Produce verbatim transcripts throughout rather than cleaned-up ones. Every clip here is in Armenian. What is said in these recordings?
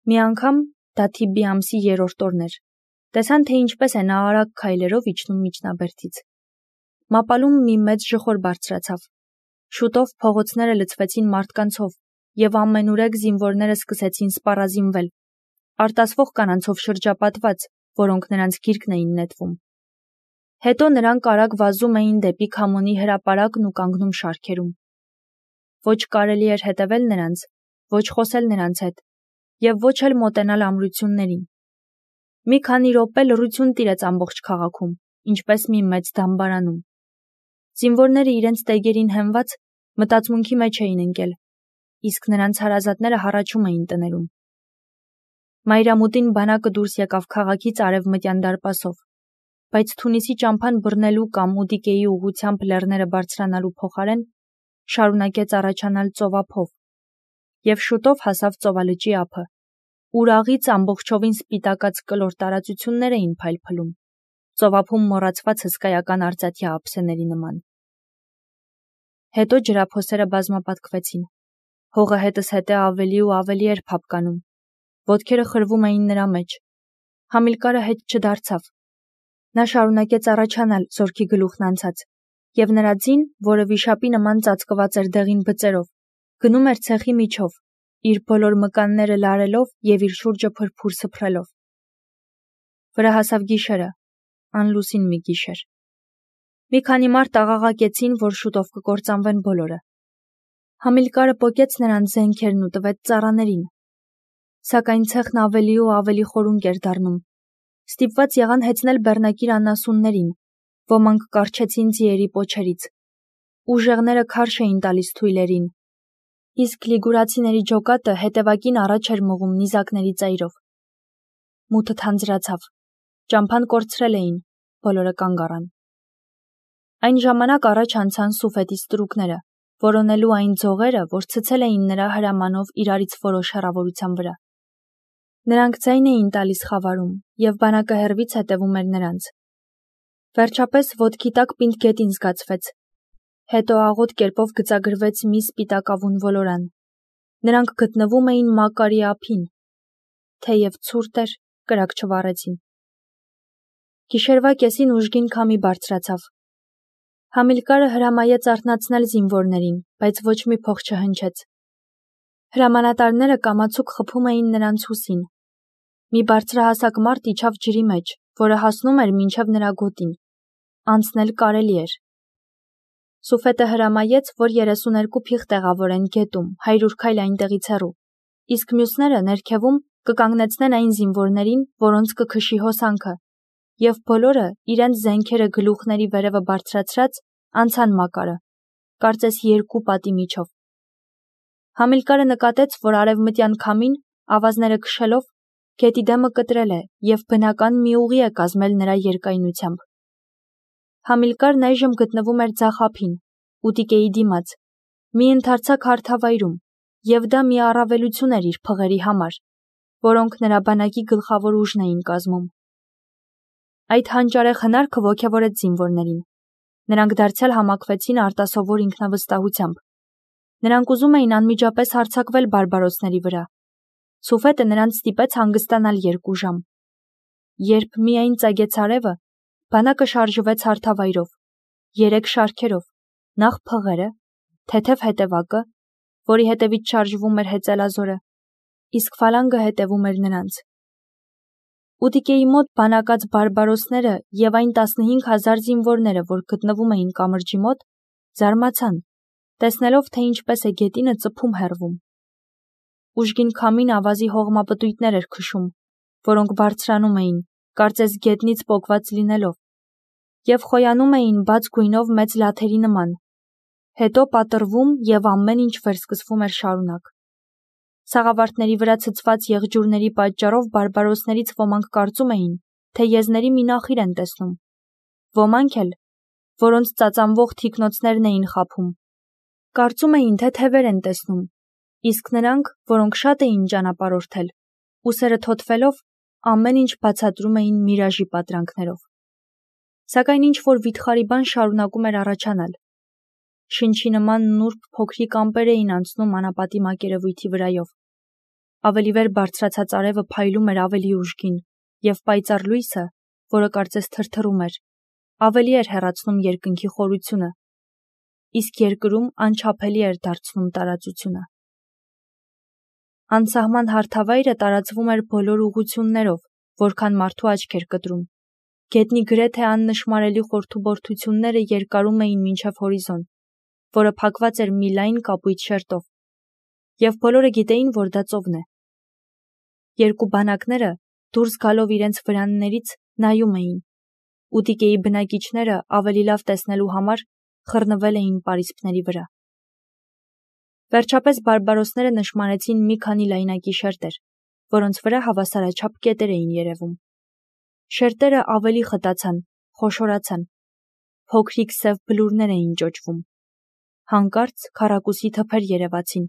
Մի անգամ, դա Թիբբի ամսի երրորդ օրն էր, տեսան, թե ինչպես է նա արագ քայլերով իջնում միջնաբերդից։ Մապալում մի մեծ ժխոր բարձրացավ։ Շուտով փողոցները լցվեցին մարդկանցով, եւ ամենուրեք զինվորները սկսեցին սպառազինվել, արտասվող կանանցով շրջապատված, որոնք նրանց գիրկն էին նետվում։ Հետո նրանք արագ վազում էին դեպի Քամոնի հրապարակն ու կանգնում շարքերում։ Ոչ կարելի էր հետևել նրանց, ոչ խոսել նրանց հետ, եւ ոչ էլ մոտենալ ամրություններին։ Մի քանի րոպե լռություն տիրեց ամբողջ քաղաքում, ինչպես մի մեծ դամբարանում։ Զինվորները իրենց տեգերին հենված մտածմունքի մեջ էին ընկել, իսկ նրանց հարազատները հառաչում էին տներում։ Մայրամուտին բանակը դուրս եկավ քաղաքից արևմտյան դարպասով, բայց Թունիսի ճամփան բռնելու կամ Ուդիկեի ուղղությամբ լեռները բարձրանալու փոխարեն շարունակեց առաջանալ ծովափով, եւ շուտով հասավ ծովալճի ափը, ուր աղից ամբողջովին սպիտակած կլոր տարածություններ էին փայլփլում, ծովափում մոռացված հսկայական արծաթյա ափսեների նման։ Հետո ջրափոսերը բազմապատկվեցին, հողը հետս հետե ավելի ու ավելի էր փափկանում, ոտքերը խրվում էին նրա մեջ, Համիլկարը հետ չդարձավ։ Նա շարունակեց առաջանալ զորքի գլուխն անցած, եւ նրա ձին, որը վիշապի նման ծածկված էր դեղին բծերով, գնում էր ցեխի միջով, իր բոլոր մկանները լարելով եւ իր շուրջը փրփուր սփռելով։ Վրա հասավ գիշերը, անլուսին մի գիշեր։ Մի քանի մարդ աղաղակեցին, որ շուտով կկործանվեն բոլորը։ Համիլկարը պոկեց նրանց զենքերն ու տվեց ծառաներին։ Սակայն ցեխն ավելի ու ավելի խորունկ էր դառնում։ Ստիպված եղան հեծնել բեռնակիր անասուններին, ոմանք կառչեցին ձիերի պոչերից։ Ուժեղները քարշ էին տալիս թույլերին, իսկ լիգուրացիների ջոկատը հետևակին առաջ էր մղում նիզակների ծայրով։ Մութը թանձրացավ, ճամփան կորցրել էին, բոլորը կանգ առան։ Այն ժամանակ առաջ անցան Սուֆետի ստրուկները, որոնելու այն ձողերը, որ ցցել էին նրա հրամանով իրարից որոշ հեռավորության վրա։ Նրանք ձայն էին տալիս խավարում, եւ բանակը հեռվից հետևում էր նրանց։ Վերջապես ոտքի տակ պինդ գետին զգացվեց։ Հետո աղոտ կերպով գծագրվեց մի սպիտակավուն ոլորան։ Նրանք գտնվում էին Մակարի ափին։ Թեև ցուրտ էր, կրակ չվառեցին։ Գիշերվա կեսին ուժգին քամի բարձրացավ։ Համիլկարը հրամայեց արթնացնել զինվորներին, բայց ոչ մի փող չհնչեց։ Հրամանատարները կամացուկ խփում էին նրանց հուսին։ Մի բարձրահասակ մարդ իջավ ջրի մեջ, որը հասնում էր մինչև նրա գոտին։ Անցնել կարելի էր։ Սուֆետը հրամայեց, որ երեսուներկու փիղ տեղավորեն գետում, հարյուր քայլ այնտեղից հեռու, իսկ մյուսները ներքևում կկանգնեցնեն այն զինվորներին, որոնց կքշի հոսանքը, եւ բոլորը իրենց զենքերը գլուխների վերևը բարձրացրած անցան Մակարը, կարծես երկու պատի միջով։ Համիլկարը նկատեց, որ արևմտյան քամին, ավազները քշելով, գետի դեմը կտրել է եւ բնական մի ուղի է կազմել նրա երկայնությամբ։ Համիլկարն այժմ գտնվում էր ձախ ափին, Ուտիկեի դիմաց, մի ընդարձակ հարթավայրում, եւ դա մի առավելություն էր իր փղերի համար, որոնք նրա բանակի գլխավոր ուժն էին կազմում։ Այդ հանճարեղ հնարքը ոգևորեց զինվորներին։ Նրանք դարձյալ համակվեցին արտասովոր ինքնավստահությամբ։ Նրանք ուզում էին անմիջապես հարձակվել բարբարոսների վրա։ Սուֆետը նրանց ստիպեց հանգստանալ երկու ժամ։ Երբ միայն ծագեց արևը, բանակը շարժվեց հարթավայրով, երեք շարքերով, նախ փղերը, թեթև հետևակը, որի հետևից շարժվում էր հեծելազորը, իսկ ֆալանգը հետևում էր նրանց։ Ուտիկեի մոտ բանակած բարբարոսները եւ այն տասնհինգ հազար զինվորները, որ գտնվում էին կամրջի մոտ, զարմացան, տեսնելով, թե ինչպես է գետինը ծփում հեռվում։ Ուժգին քամին ավազի հողմապտույտներ էր քշում, որոնք բարձրանում էին, կարծես գետնից պոկված լինելով, եւ խոյանում էին բաց գույնով մեծ լաթերի նման, հետո պատռվում եւ ամեն ինչ վերսկսվում էր շարունակ։ Սաղավարտների վրա ցցված եղջյուրների պատճառով բարբարոսներից ոմանք կարծում էին, թե եզների մի նախիր են տեսնում, ոմանք էլ, որոնց ծածանվող թիկնոցներն էին խաբում, կարծում էին, թե թևեր են տեսնում, իսկ նրանք, որոնք շատ էին ճանապարհորդել, ուսերը թոթվելով, ամեն ինչ բացատրում էին միրաժի պատրանքներով։ Սակայն ինչ-որ վիթխարի բան շարունակում էր առաջանալ։ Շնչի նման նուրբ փոքրիկ ամպեր էին անցնում անապատի մակերևույթի վրայով։ ավելի վեր բարձրացած արևը փայլում էր ավելի ուժգին, և պայծառ լույսը, որը կարծես թրթռում էր, ավելի էր հեռացնում երկնքի խորությունը, իսկ երկրում անչափելի էր դարձնում տարածությունը։ Անսահման հարթավայրը տարածվում էր բոլոր ուղղություններով, որքան մարդու աչք էր կտրում։ Գետնի գրեթե աննշմարելի խորթուբորթությունները երկարում էին մինչև հորիզոն, որը փակված էր մի լայն կապույտ շերտով, և բոլորը գիտեին, որ դա ծովն է։ Երկու բանակները, դուրս գալով իրենց վրաններից, նայում էին։ Ուտիկեի բնակիչները ավելի լավ տեսնելու համար խռնվել էին պարիսպների վրա։ Վերջապես բարբարոսները նշմարեցին մի քանի լայնակի շերտեր, որոնց վրա հավասարաչափ կետեր էին երևում։ Շերտերը ավելի խտացան, խոշորացան, փոքրիկ սև բլուրներ էին ճոճվում։ Հանկարծ քառակուսի թփեր երևացին։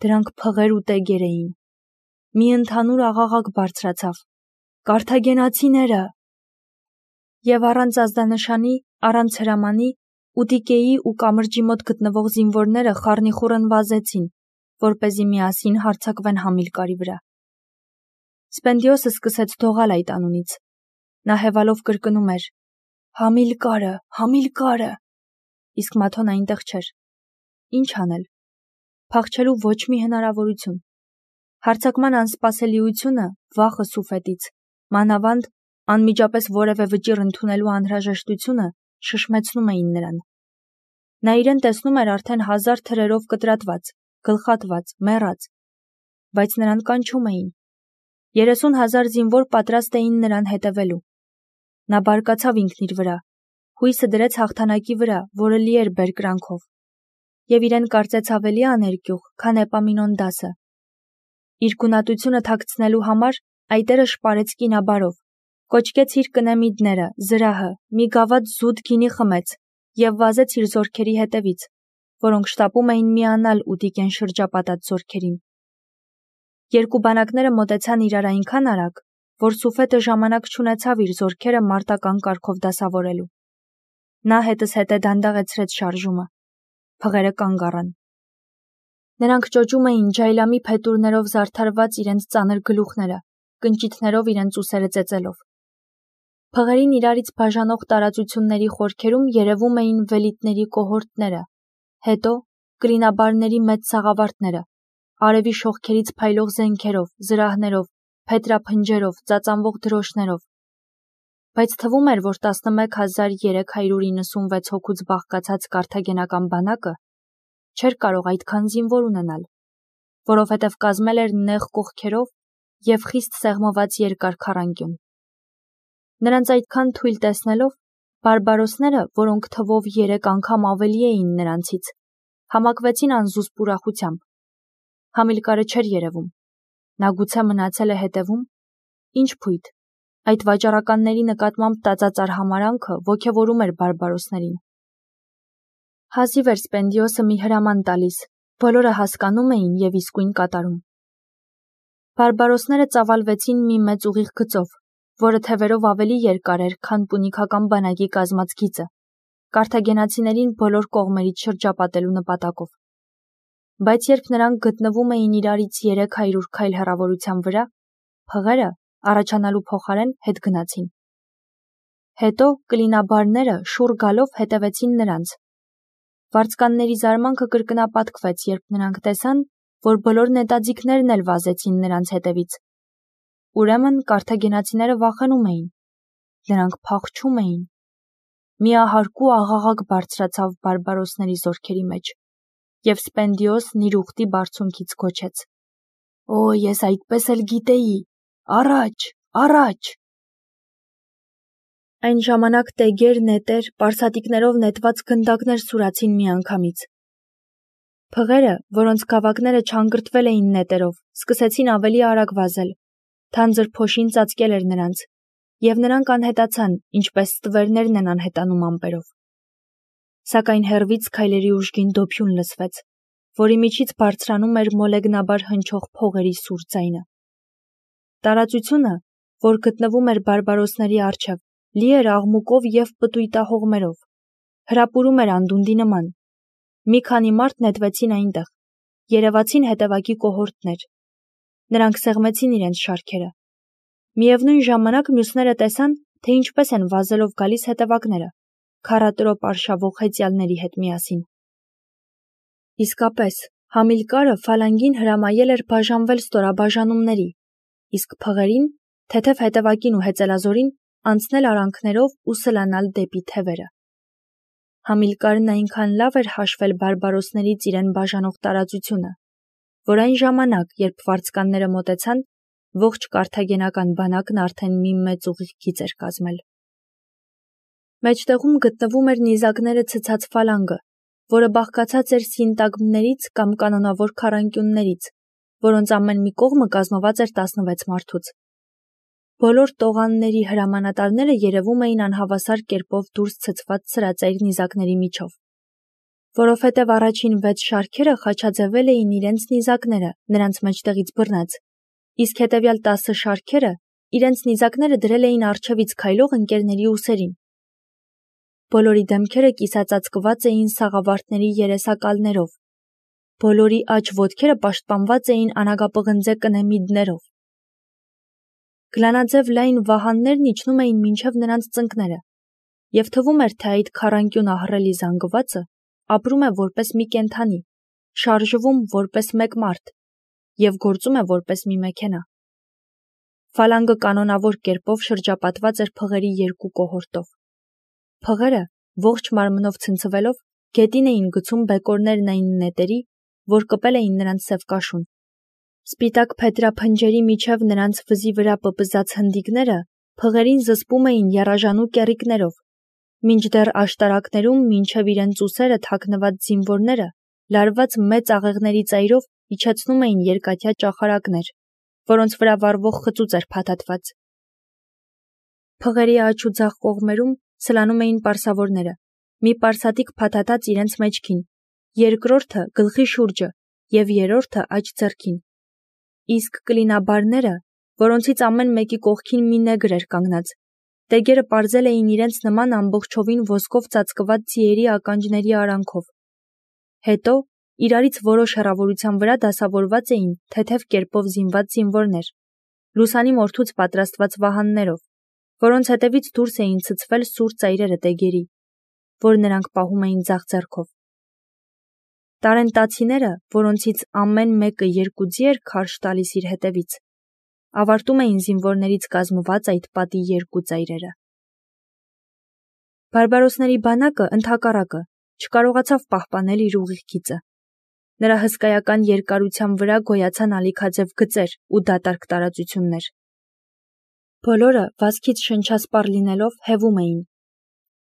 Դրանք փղեր ու տեգեր էին։ Մի ընդհանուր աղաղակ բարձրացավ. «Կարթագենացիները!» Եվ առանց ազդանշանի, առանց հրամանի, ուտիկեի ու կամրջի մոտ գտնվող զինվորները խառնիխուռն վազեցին, որպեսզի միասին հարձակվեն Համիլկարի վրա։ Սպենդիոսը սկսեց դողալ այդ անունից։ Նա հևալով կրկնում էր. «Համիլկարը, Համիլկարը», իսկ Մաթոն այնտեղ չէր։ Ինչ անել։ Փախչելու ոչ մի հնարավորություն։ Հարձակման անսպասելիությունը, վախը Սուֆետից, մանավանդ անմիջապես որևէ վճիռ ընդունելու անհրաժեշտությունը շշմեցնում էին նրան։ Նա իրեն տեսնում էր արդեն հազար թրերով կտրատված, գլխատված, մեռած, բայց նրան կանչում էին։ Երեսուն հազար զինվոր պատրաստ էին նրան հետևելու։ Նա բարկացավ ինքն իր վրա, հույսը դրեց հաղթանակի վրա, որը լի էր բերկրանքով, և իրեն կարծեց ավելի աներկյուղ, քան Էպամինոնդասը։ Իր գունատությունը թաքցնելու համար այտերը շպարեց կինաբարով, կոչկեց իր կնեմիդները, զրահը, մի գավաթ զուտ գինի խմեց և վազեց իր զորքերի հետևից, որոնք շտապում էին միանալ ուտիկեն շրջապատած զորքերին։ Երկու բանակները մոտեցան իրար այնքան արագ, որ Սուֆետը ժամանակ չունեցավ իր զորքերը մարտական կարգով դասավորելու։ Նա հետզհետե դանդաղեցրեց շարժումը։ Փղերը կանգ առան։ Նրանք ճոճում էին ջայլամի փետուրներով զարդարված իրենց ծանր գլուխները, կնճիթներով իրենց ուսերը ծեծելով։ Փղերին իրարից բաժանող տարածությունների խորքերում երևում էին վելիտների կոհորտները, հետո կլինաբարների մեծ սաղավարտները, արևի շողքերից փայլող զենքերով, զրահներով, փետրափնջերով, ծածանվող դրոշներով։ Բայց թվում էր, որ տասնմեկ հազար երեք հարյուր իննսունվեց հոգուց բաղկացած կարթագենական բանակը չէր կարող այդքան զինվոր ունենալ, որովհետև կազմել էր նեղ կողքերով և խիստ սեղմված երկար քառանկյուն։ Նրանց այդքան թույլ տեսնելով, բարբարոսները, որոնք թվով երեք անգամ ավելի էին նրանցից, համակվեցին անզուսպ ուրախությամբ։ Համիլկարը չէր երևում։ Նա գուցե մնացել է հետևում։ Ինչ փույթ, այդ վաճառականների նկատմամբ տածած արհամարհանքը ոգևորում էր բարբարոսներին։ Հազիվ էր Սպենդիոսը մի հրաման տալիս, բոլորը հասկանում էին և իսկույն կատարում։ Բարբարոսները ծավալվեցին մի մեծ ուղիղ գծով, որը թևերով ավելի երկար էր, քան պունիկական բանակի կազմած գիծը, կարթագենացիներին բոլոր կողմերից շրջապատելու նպատակով։ Բայց երբ նրանք գտնվում էին իրարից երեք հարյուր քայլ հեռավորության վրա, փղերը, առաջանալու փոխարեն, հետ գնացին։ Հետո կլինաբարները շուռ գալով հետևեցին նրանց։ Վարձկանների զարմանքը կրկնապատկվեց, երբ նրանք տեսան, որ բոլոր նետաձիգներն էլ վազեցին նրանց հետևից։ Ուրեմն կարթագենացիները վախենում էին։ Նրանք փախչում էին։ Միահարկու աղաղակ բարձրացավ բարբարոսների զորքերի մեջ, և Սպենդիոսն իր ուխտի բարձունքից գոչեց. «Օ, ես այդպես էլ գիտեի, առաջ, առաջ»։ Այն ժամանակ տեգեր, նետեր, պարսատիկներով նետված գնդակներ սուրացին միանգամից։ Փղերը, որոնց գավակները չանգրտվել էին նետերով, սկսեցին ավելի արագ վազել։ Թանձր փոշին ծածկել էր նրանց, և նրանք անհետացան, ինչպես ստվերներն են անհետանում ամպերով։ Սակայն հեռվից քայլերի ուժգին դոփյուն լսվեց, որի միջից բարձրանում էր մոլեգնաբար հնչող փողերի սուր ձայնը։ Տարածությունը, որ գտնվում էր բարբարոսների առջև, լի էր աղմուկով և պտույտահողմերով, հրապուրում էր անդունդի նման։ Մի քանի մարդ նետվեցին այնտեղ, երևացին հետևակի կոհորտներ։ Նրանք սեղմեցին իրենց շարքերը։ Միևնույն ժամանակ մյուսները տեսան, թե ինչպես են վազելով գալիս հետևակները, քառատրոպ արշավող հեծյալների հետ միասին։ Իսկապես, Համիլկարը Ֆալանգին հրամայել էր բաժանվել ստորաբաժանումների, իսկ փղերին, թեթև հետևակին ու հեծելազորին, անցնել արանքներով ու սլանալ դեպի թևերը։ Համիլկարն այնքան լավ էր հաշվել բարբարոսներից իրեն բաժանող տարածությունը, որ այն ժամանակ, երբ վարձկանները մոտեցան, ողջ կարթագենական բանակն արդեն մի մեծ ուղիղ գիծ էր կազմել։ Մեջտեղում գտնվում էր նիզակները ցցած ֆալանգը, որը բաղկացած էր սինտագմներից կամ կանոնավոր քառանկյուններից, որոնց ամեն մի կողմը կազմված էր տասնվեց մարդուց։ Բոլոր տողանների հրամանատարները երևում էին անհավասար կերպով դուրս ցցված սրածայր նիզակների միջով, որովհետև առաջին վեց շարքերը խաչաձևել էին իրենց նիզակները նրանց մեջտեղից բռնած, իսկ հետևյալ տասը շարքերը իրենց նիզակները դրել էին առջևից քայլող ընկերների ուսերին։ Բոլորի դեմքերը կիսածածկված էին սաղավարտների երեսակալներով, բոլորի աջ ոտքերը պաշտպանված էին անագապղնձե կնեմիդներով։ Գլանաձև լայն վահաններն իջնում էին մինչև նրանց ծնկները, և թվում էր, թե այդ քառանկյուն ահռելի զանգվածը ապրում է որպես մի կենդանի, շարժվում որպես մեկ մարդ և գործում է որպես մի մեքենա։ Ֆալանգը կանոնավոր կերպով շրջապատված էր փղերի երկու կոհորտով։ Փղերը, ողջ մարմնով ցնցվելով, գետին էին գցում բեկորներն այն նետերի, որ կպել էին նրանց սև կաշուն։ Սպիտակ փետրափնջերի միջև նրանց վզի վրա պպզած հնդիկները փղերին զսպում էին եռաժանու կեռիկներով, մինչդեռ աշտարակներում մինչև իրենց ուսերը թաքնված զինվորները լարված մեծ աղեղների ծայրով իջեցնում էին երկաթյա ճախարակներ, որոնց վրա վառվող խծուծ էր փաթաթված։ Փղերի աջ ու ձախ կողմերում սլանում էին պարսավորները, մի պարսատիկ փաթաթած իրենց մեջքին, երկրորդը գլխի շուրջը և երրորդը աջ ձեռքին, իսկ կլինաբարները, որոնցից ամեն մեկի կողքին մի նեգր էր կանգնած, տեգերը պարզել էին իրենց նման ամբողջովին ոսկով ծածկված ձիերի ականջների արանքով։ Հետո իրարից որոշ հեռավորության վրա դասավորված էին թեթև կերպով զինված զինվորներ, լուսանի մորթուց պատրաստված վահաններով, որոնց հետևից դուրս էին ցցվել սուր ծայրերը տեգերի, որ նրանք պահում էին ձախ ձեռքով։ Տարենտացիները, որոնցից ամեն մեկը երկու ձի էր քարշ տալիս իր հետևից, ավարտում էին զինվորներից կազմված այդ պատի երկու ծայրերը։ Բարբարոսների բանակը, ընդհակառակը, չկարողացավ պահպանել իր ուղիղ գիծը։ Նրա հսկայական երկարության վրա գոյացան ալիքաձև գծեր ու դատարկ տարածություններ։ Բոլորը վազքից շնչասպառ լինելով հևում էին։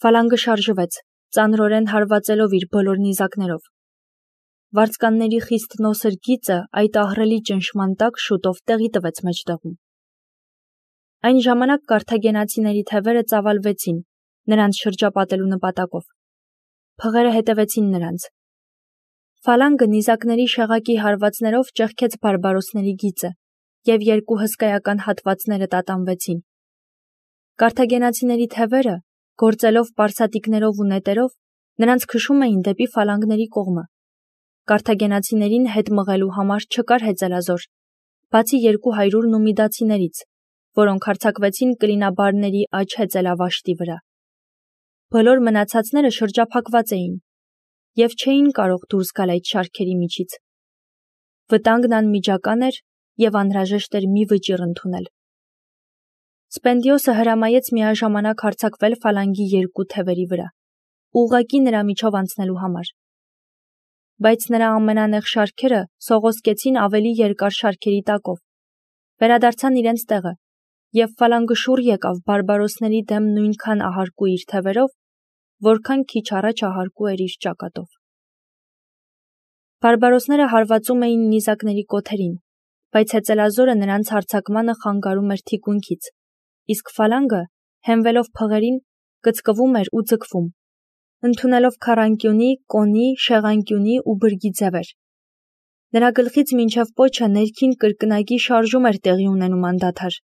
Ֆալանգը շարժվեց, ծանրորեն հարվածելով իր բոլոր նիզակներով։ Վարձկանների խիստ նոսր գիծը այդ ահռելի ճնշման տակ շուտով տեղի տվեց մեջտեղում։ Այն ժամանակ կարթագենացիների թևերը ծավալվեցին, նրանց շրջապատելու նպատակով։ Փղերը հետևեցին նրանց։ Ֆալանգը նիզակների շեղակի հարվածներով ճեղքեց բարբարոսների գիծը, և երկու հսկայական հատվածները տատանվեցին։ Կարթագենացիների թևերը, գործելով պարսատիկներով ու նետերով, նրանց քշում էին դեպի ֆալանգների կողմը։ Կարթագենացիներին հետ մղելու համար չկար հեծելազոր, բացի երկու հարյուր նումիդացիներից, որոնք հարձակվեցին կլինաբարների աջ հեծելավաշտի վրա։ Բոլոր մնացածները շրջափակված էին և չէին կարող դուրս գալ այդ շարքերի միջից։ Վտանգն անմիջական էր և անհրաժեշտ էր մի վճիռ ընդունել։ Սպենդիոսը հրամայեց միաժամանակ հարձակվել ֆալանգի երկու թևերի վրա, ուղղակի նրա միջով անցնելու համար։ Բայց նրա ամենանեղ շարքերը սողոսկեցին ավելի երկար շարքերի տակով, վերադարձան իրենց տեղը, և ֆալանգը շուռ եկավ բարբարոսների դեմ նույնքան ահարկու իր թևերով, որքան քիչ առաջ ահարկու էր իր ճակատով։ Բարբարոսները հարվածում էին նիզակների կոթերին, բայց հեծելազորը նրանց հարձակմանը խանգարում էր թիկունքից, իսկ ֆալանգը, հենվելով փղերին, կծկվում էր ու ձգվում, ընդունելով քառանկյունի, կոնի, շեղանկյունի ու բրգի ձևեր։ Նրա գլխից մինչև պոչը ներքին կրկնակի շարժում էր տեղի ունենում անդադար,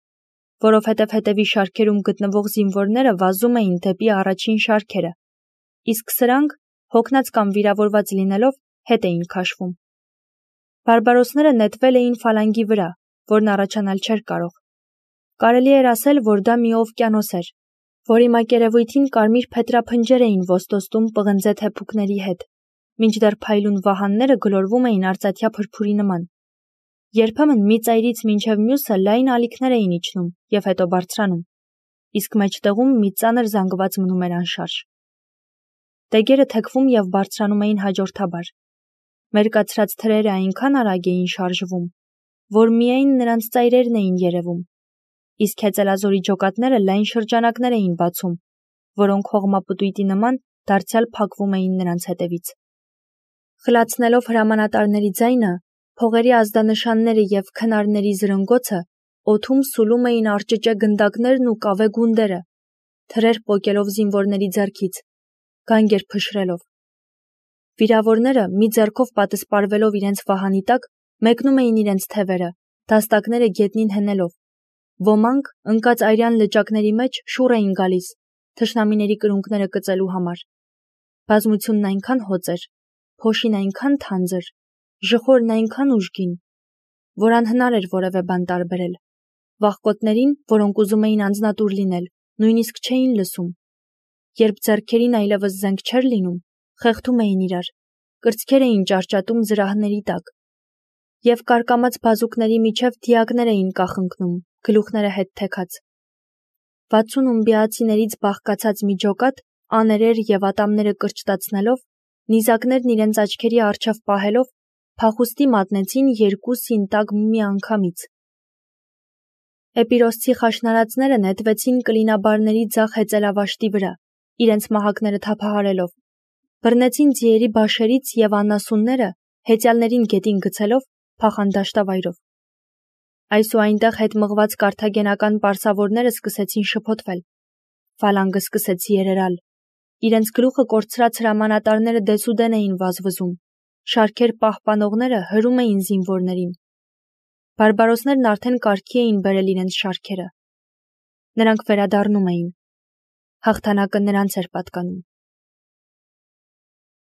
որովհետև հետևի շարքերում գտնվող զինվորները վազում էին դեպի առաջին շարքերը, իսկ սրանք, հոգնած կամ վիրավորված լինելով, հետ էին քաշվում։ Բարբարոսները նետվել էին ֆալանգի վրա, որն առաջանալ չէր կարող։ Կարելի էր ասել, որ դա մի օվկիանոս էր, որի մակերևույթին կարմիր փետրափնջեր էին ոստոստում պղնձե թեփուկների հետ, մինչդեռ փայլուն վահանները գլորվում էին արծաթյա փրփուրի նման։ Երբեմն մի ծայրից մինչև մյուսը լայն ալիքներ էին իջնում և հետո բարձրանում, իսկ մեջտեղում մի ծանր զանգված մնում էր անշարժ։ Դեգերը թեքվում և բարձրանում էին հաջորդաբար։ Մերկացրած թրերը այնքան արագ էին շարժվում, որ միայն նրանց ծայրերն էին երևում, իսկ հեծելազորի ջոկատները լայն շրջանակներ էին բացում, որոնք հողմապտույտի նման դարձյալ փակվում էին նրանց հետևից։ Խլացնելով հրամանատարների ձայնը, փողերի ազդանշանները և քնարների զրնգոցը օդում սուլում էին արճճե գնդակներն ու կավե գունդերը, թրեր պոկելով զինվորների ձեռքից, գանգեր փշրելով։ Վիրավորները, մի ձեռքով պատսպարվելով իրենց վահանի տակ, մեկնում էին իրենց թևերը, դաստակները գետնին հենելով։ Ոմանք, ընկած արյան լճակների մեջ, շուռ էին գալիս, թշնամիների կրունկները կծելու համար։ Բազմությունն այնքան հոծ էր, փոշին այնքան թանձր, ժխորն այնքան ուժգին, որ անհնար էր որևէ բան տարբերել։ Վախկոտներին, որոնք ուզում էին անձնատուր լինել, նույնիսկ չէին լսում։ Երբ ձեռքերին այլևս զենք չէր լինում, խեղդում էին իրար, կրծքեր էին ճարճատում զրահների տակ, և կարկամած բազուկների միջև դիակներ էին կախնկնում, գլուխները հետ թեքած։ Վաթսուն ումբիացիներից բաղկացած մի ջոկատ, աներեր և ատամները կրճտացնելով, նիզակներն իրենց աչքերի առջև պահելով, փախուստի մատնեցին երկու սինտագ միանգամից։ Էպիրոսցի խաշնարածները նետվեցին կլինաբարների ձախ հեծելավաշտի վրա, իրենց մահակները թափահարելով, բռնեցին ձիերի բաշերից և անասունները, հեծյալներին գետին գցելով, փախան դաշտավայրով։ Այս ու այնտեղ հետ մղված կարթագենական պարսավորները սկսեցին շփոթվել։ Ֆալանգը սկսեց երերալ։ Իրենց գլուխը կորցրած հրամանատարները դեսուդեն էին վազվզում, շարքեր պահպանողները հրում էին զինվորներին։ Բարբարոսներն արդեն կարգի էին բերել իրենց շարքերը։ Նրանք վերադառնում էին։ Հաղթանակը նրանց էր պատկանում։